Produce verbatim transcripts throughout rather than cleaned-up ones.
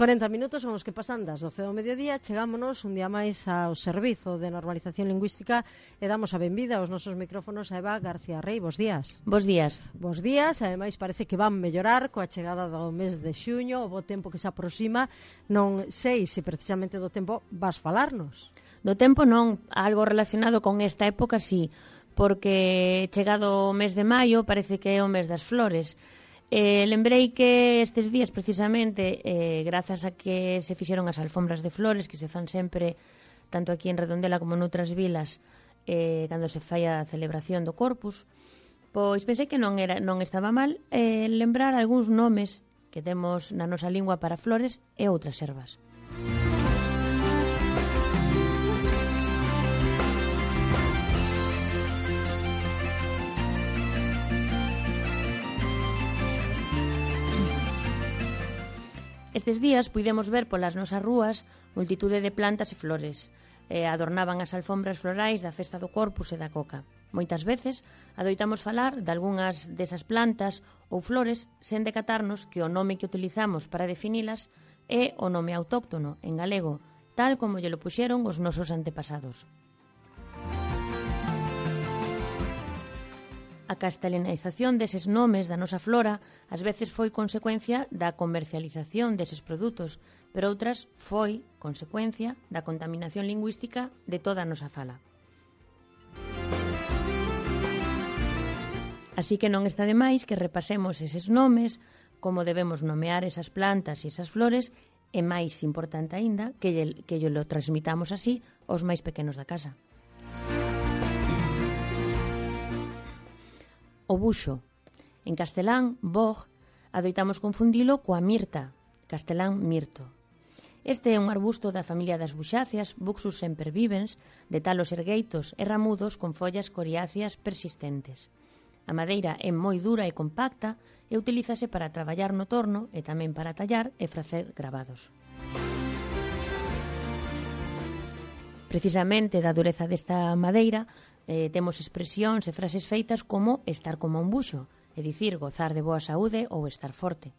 corenta minutos son os que pasan das doce do mediodía. Chegámonos un día máis ao Servizo de Normalización Lingüística e damos a benvida aos nosos micrófonos a Eva García Rey. Bos días. Bos días. Bos días, ademais parece que van mellorar coa chegada do mes de xuño, o bo tempo que se aproxima. Non sei se precisamente do tempo vas falarnos. Do tempo non, algo relacionado con esta época sí, porque chegado o mes de maio parece que é o mes das flores. Eh, lembrei que estes días precisamente, eh, grazas a que se fixeron as alfombras de flores que se fan sempre, tanto aquí en Redondela como noutras vilas, eh, cando se fai a celebración do Corpus, pois pensei que non era non estaba mal eh, lembrar algúns nomes que temos na nosa lingua para flores e outras ervas. Estes días puidemos ver polas nosas rúas multitude de plantas e flores. Eh, adornaban as alfombras florais da festa do Corpus e da Coca. Moitas veces adoitamos falar de algunhas desas plantas ou flores sen decatarnos que o nome que utilizamos para definilas é o nome autóctono, en galego, tal como lle lo puxeron os nosos antepasados. A castelanización deses nomes da nosa flora ás veces foi consecuencia da comercialización deses produtos, pero outras foi consecuencia da contaminación lingüística de toda a nosa fala. Así que non está de máis que repasemos eses nomes, como debemos nomear esas plantas e esas flores, e máis importante aínda, que lle, que lle lo transmitamos así aos máis pequenos da casa. O buxo. En castelán, boj, adoitamos confundilo coa mirta, castelán mirto. Este é un arbusto da familia das buxáceas, Buxus sempervivens, de talos ergueitos e ramudos con follas coriáceas persistentes. A madeira é moi dura e compacta e utilízase para traballar no torno e tamén para tallar e facer gravados. Precisamente da dureza desta madeira eh, temos expresións e frases feitas como estar como un buxo, é dicir, gozar de boa saúde ou estar forte.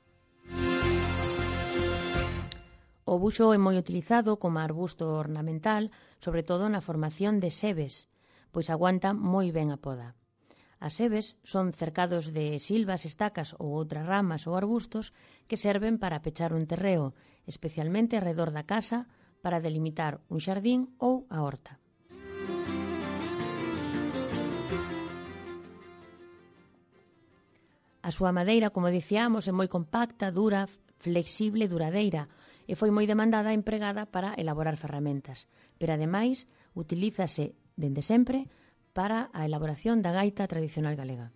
O buxo é moi utilizado como arbusto ornamental, sobre todo na formación de sebes, pois aguanta moi ben a poda. As sebes son cercados de silvas, estacas ou outras ramas ou arbustos que serven para pechar un terreo, especialmente arredor da casa, para delimitar un xardín ou a horta. A súa madeira, como dicíamos, é moi compacta, dura, flexible e duradeira e foi moi demandada e empregada para elaborar ferramentas, pero ademais utilízase dende sempre para a elaboración da gaita tradicional galega.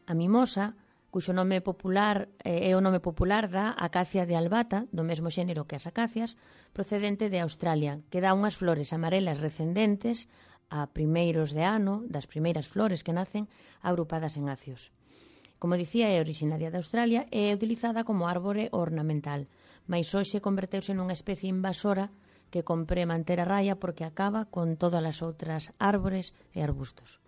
A mimosa, cuxo nome popular eh, é o nome popular da acacia de albata, do mesmo xénero que as acacias, procedente de Australia, que dá unhas flores amarelas recendentes a primeiros de ano, das primeiras flores que nacen agrupadas en acios. Como dicía, é originaria de Australia e é utilizada como árbore ornamental, mais hoxe converteuse nunha especie invasora que compre manter a raya porque acaba con todas as outras árbores e arbustos.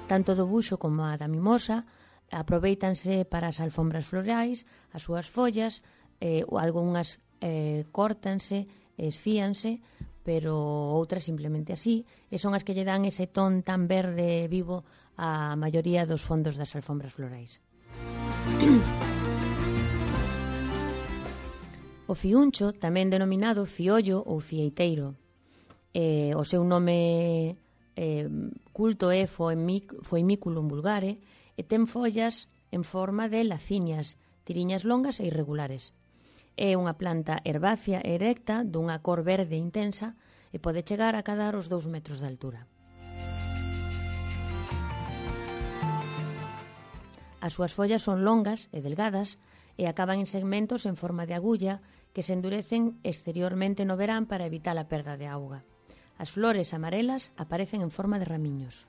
Tanto do buxo como a da mimosa aprovéitanse para as alfombras florais, as súas follas, eh, algunhas eh, córtanse, esfíanse, pero outras simplemente así, e son as que lle dan ese ton tan verde vivo á maioría dos fondos das alfombras florais. O fiuncho, tamén denominado fiollo ou fieiteiro, eh, o seu nome eh, culto é Foemiculum vulgare e ten follas en forma de lacinias, tiriñas longas e irregulares. É unha planta herbácea erecta dunha cor verde intensa e pode chegar a cadar os dous metros de altura. As súas follas son longas e delgadas e acaban en segmentos en forma de agulla que se endurecen exteriormente no verán para evitar a perda de auga. As flores amarelas aparecen en forma de ramiños.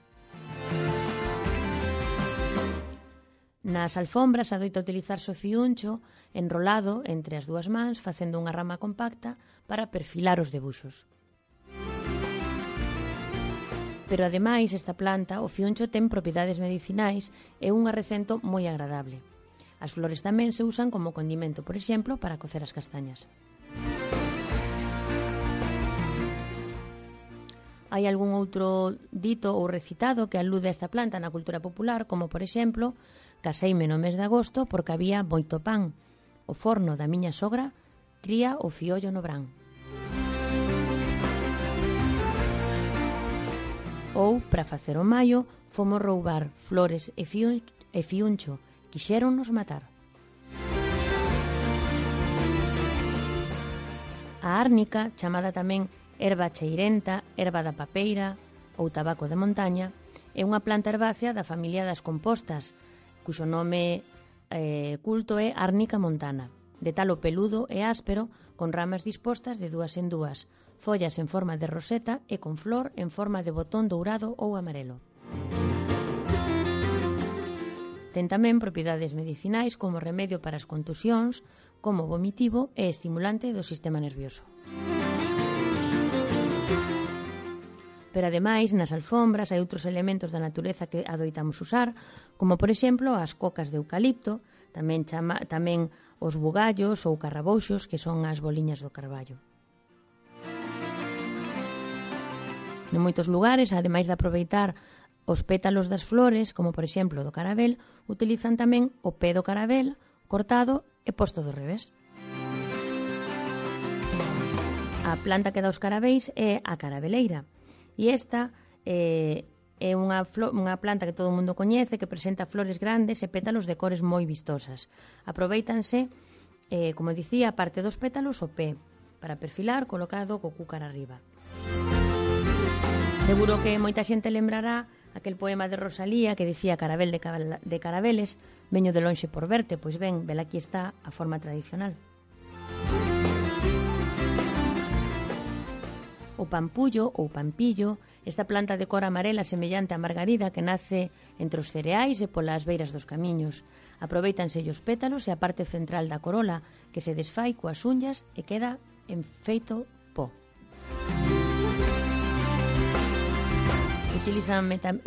Nas alfombras adoita utilizarse o fiuncho enrolado entre as dúas mans facendo unha rama compacta para perfilar os debuxos. Pero, ademais, esta planta, o fiuncho, ten propiedades medicinais e un arrecento moi agradable. As flores tamén se usan como condimento, por exemplo, para cocer as castañas. Hai algún outro dito ou recitado que alude a esta planta na cultura popular, como, por exemplo, caseime no mes de agosto porque había moito pan. O forno da miña sogra cría o fiollo no brán. Ou, para facer o maio, fomos roubar flores e, fiun e fiuncho, quixéronnos matar. A árnica, chamada tamén erva cheirenta, erva da papeira ou tabaco de montaña, é unha planta herbácea da familia das compostas, cuxo nome eh, culto é Árnica montana, de talo peludo e áspero, con ramas dispostas de dúas en dúas, follas en forma de roseta e con flor en forma de botón dourado ou amarelo. Ten tamén propiedades medicinais como remedio para as contusións, como vomitivo e estimulante do sistema nervioso. Pero, ademais, nas alfombras hai outros elementos da natureza que adoitamos usar, como, por exemplo, as cocas de eucalipto, tamén, chama, tamén os bugallos ou carrabouxos, que son as boliñas do carballo. En moitos lugares, ademais de aproveitar os pétalos das flores, como, por exemplo, do carabel, utilizan tamén o pé do carabel cortado e posto do revés. A planta que dá os carabéis é a carabeleira. E esta eh, é unha, unha planta que todo o mundo coñece, que presenta flores grandes e pétalos de cores moi vistosas. Aproveítanse, eh, como dicía, a parte dos pétalos o pé, para perfilar colocado co cúcar arriba. Seguro que moita xente lembrará aquel poema de Rosalía que dicía Carabel de, de carabeles, veño de lonxe por verte, pois ben, vel aquí está a forma tradicional. O pampullo ou pampillo, esta planta de cor amarela semellante á margarida que nace entre os cereais e polas beiras dos camiños. Aproveítanse os pétalos e a parte central da corola que se desfai coas unllas e queda en feito pó.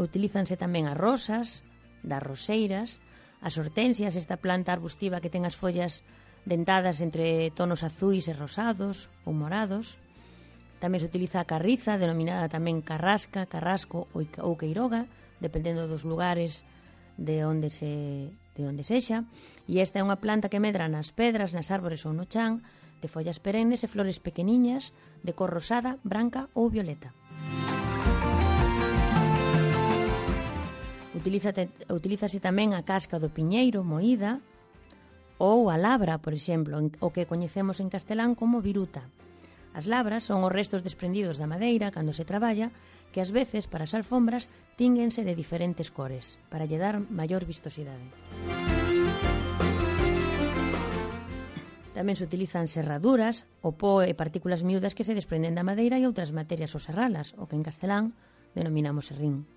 Utilízanse tamén as rosas, das roseiras, as hortensias, esta planta arbustiva que ten as follas dentadas entre tonos azuis e rosados ou morados. Tamén se utiliza a carriza, denominada tamén carrasca, carrasco ou queiroga, dependendo dos lugares de onde se de onde sexa, e esta é unha planta que medra nas pedras, nas árbores ou no chan, de follas perennes e flores pequeniñas, de cor rosada, branca ou violeta. Utilízate, utilízase tamén a casca do piñeiro moída ou a labra, por exemplo, o que coñecemos en castelán como viruta. As labras son os restos desprendidos da madeira cando se traballa, que ás veces para as alfombras tínguense de diferentes cores, para lle dar maior vistosidade. Tamén se utilizan serraduras, o pó e partículas miúdas que se desprenden da madeira e outras materias ou serralas, o que en castelán denominamos serrín.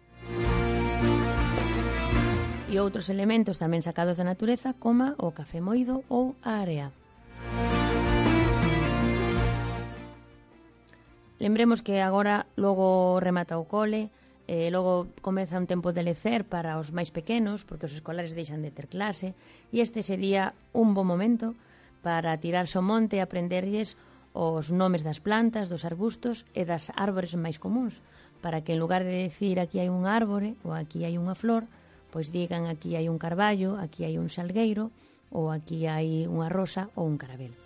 E outros elementos tamén sacados da natureza, como o café moído ou a area. Lembremos que agora logo remata o cole, e logo comeza un tempo de lecer para os máis pequenos, porque os escolares deixan de ter clase, e este sería un bo momento para tirarse ao monte e aprenderlles os nomes das plantas, dos arbustos e das árbores máis comuns, para que en lugar de decir aquí hai un árbore ou aquí hai unha flor, pois digan aquí hai un carballo, aquí hai un salgueiro, ou aquí hai unha rosa ou un carabel.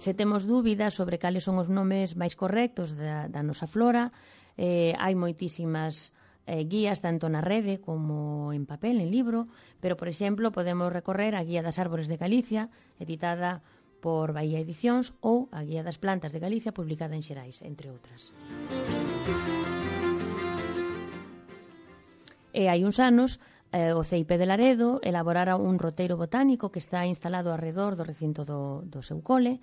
Se temos dúbidas sobre cales son os nomes máis correctos da, da nosa flora, eh, hai moitísimas eh, guías tanto na rede como en papel, en libro, pero, por exemplo, podemos recorrer a Guía das Árbores de Galicia, editada por Bahía Edicións, ou a Guía das Plantas de Galicia, publicada en Xerais, entre outras. E hai uns anos, eh, o C I P de Laredo elaborara un roteiro botánico que está instalado alrededor do recinto do, do seu cole,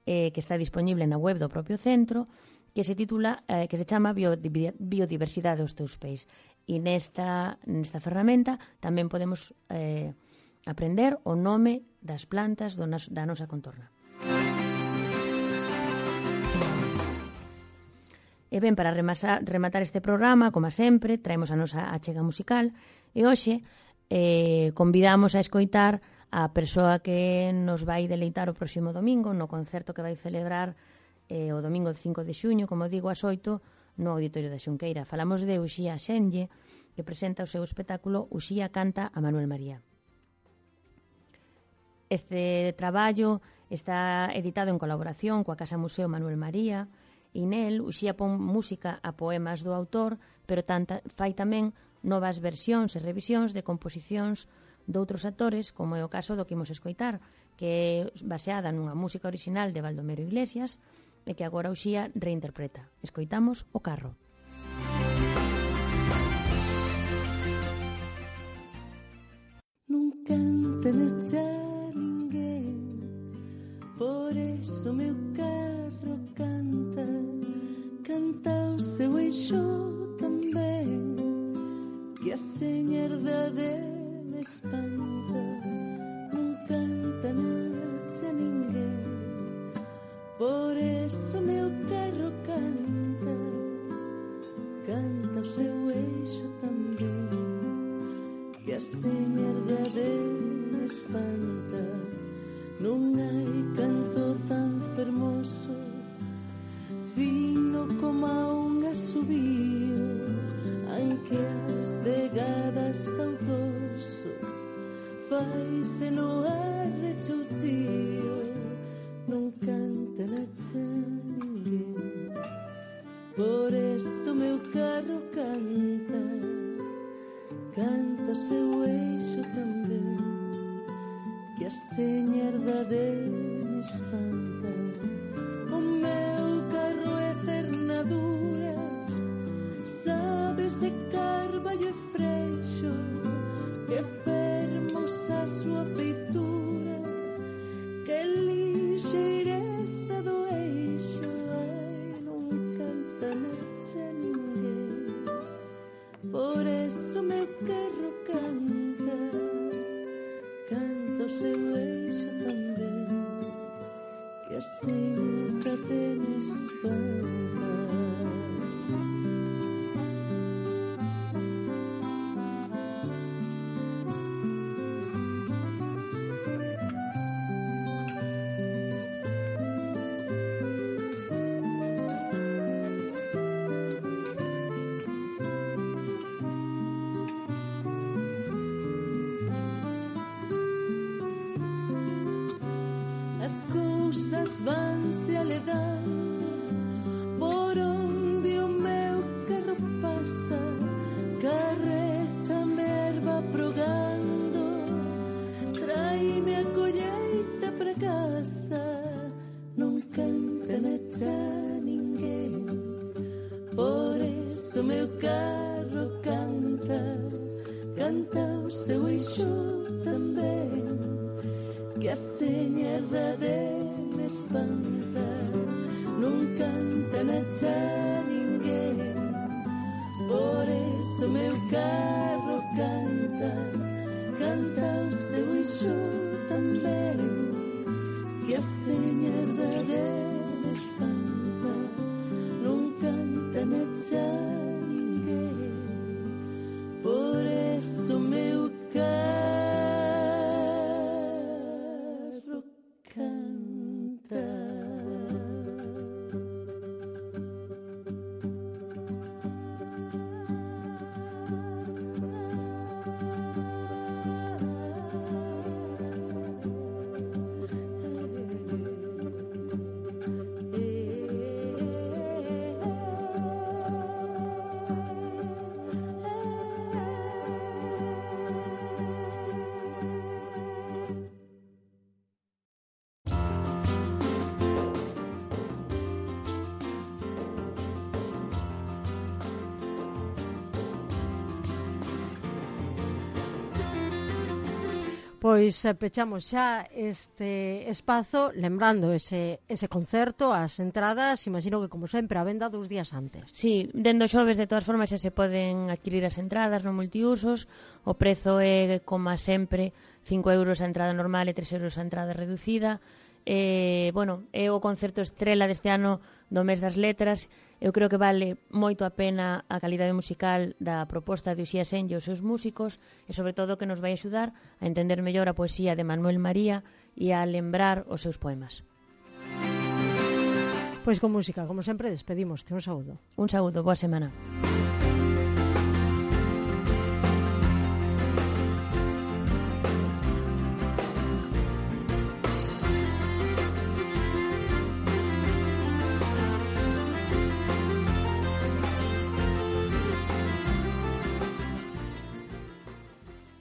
eh, que está disponible na web do propio centro, que se titula, eh, que se chama Biodiversidade aos teus pés. E nesta, nesta ferramenta tamén podemos eh, aprender o nome das plantas do nas, da nosa contorna. E ben, para remasa, rematar este programa, como sempre, traemos a nosa achega musical e hoxe eh, convidamos a escoitar a persoa que nos vai deleitar o próximo domingo no concerto que vai celebrar eh, o domingo cinco de xuño, como digo, ás oito, no Auditorio da Xunqueira. Falamos de Uxía Xenlle, que presenta o seu espectáculo Uxía canta a Manuel María. Este traballo está editado en colaboración coa Casa Museo Manuel María e nel Uxía pon música a poemas do autor, pero tanta, fai tamén novas versións e revisións de composicións doutros actores, como é o caso do que imos escoitar, que é baseada nunha música original de Baldomero Iglesias e que agora Uxía reinterpreta. Escoitamos O carro. Non canta xa ninguén, por eso meu carro canta, canta o seu eixo tamén, que a señerda de me espanta. Non canta xa ninguén, por eso meu carro canta, canta o seu eixo tamén, que a señerda de me espanta. Non hai canto tan fermoso, fino como a un asubío, anque as vegadas ao dorso faise no arrechoucío. Non canta xa ninguén, por eso meu carro canta, canta o seu eixo tamén, que a señerda de me espanta. O meu carro é cernadura, sabe se carballo e freixo, que fermosa a súa feitura, que lixeireza do eixo. Ai, non canta xa ninguén, por eso meu carro canta, canta o seu eixo tamén, que a señerda de me espanta. Vanse aledando por onde o meu carro pasa, carreta me erva progando, traime a colleita para casa. Non canta xa ninguén, por eso meu carro canta, canta o seu eixo tamén, que a señerda de me espanta. Non canta xa ninguén, por eso meu carro canta, canta o seu eixo tamén, que a señerda de me espanta. Non canta xa ninguén, por eso meu carro Pois pechamos xa este espazo lembrando ese, ese concerto, as entradas, imagino que como sempre a venda dous días antes. Sí, dendo xoves de todas formas xa se poden adquirir as entradas no multiusos, o prezo é como sempre cinco euros a entrada normal e tres euros a entrada reducida. Eh, bueno, é o concerto estrela deste ano do mes das letras Eu creo que vale moito a pena a calidade musical da proposta de Uxía Senlle e os seus músicos e sobre todo que nos vai axudar a entender mellor a poesía de Manuel María e a lembrar os seus poemas. Pois con música, como sempre, despedimos. Un saúdo. Un saúdo, boa semana.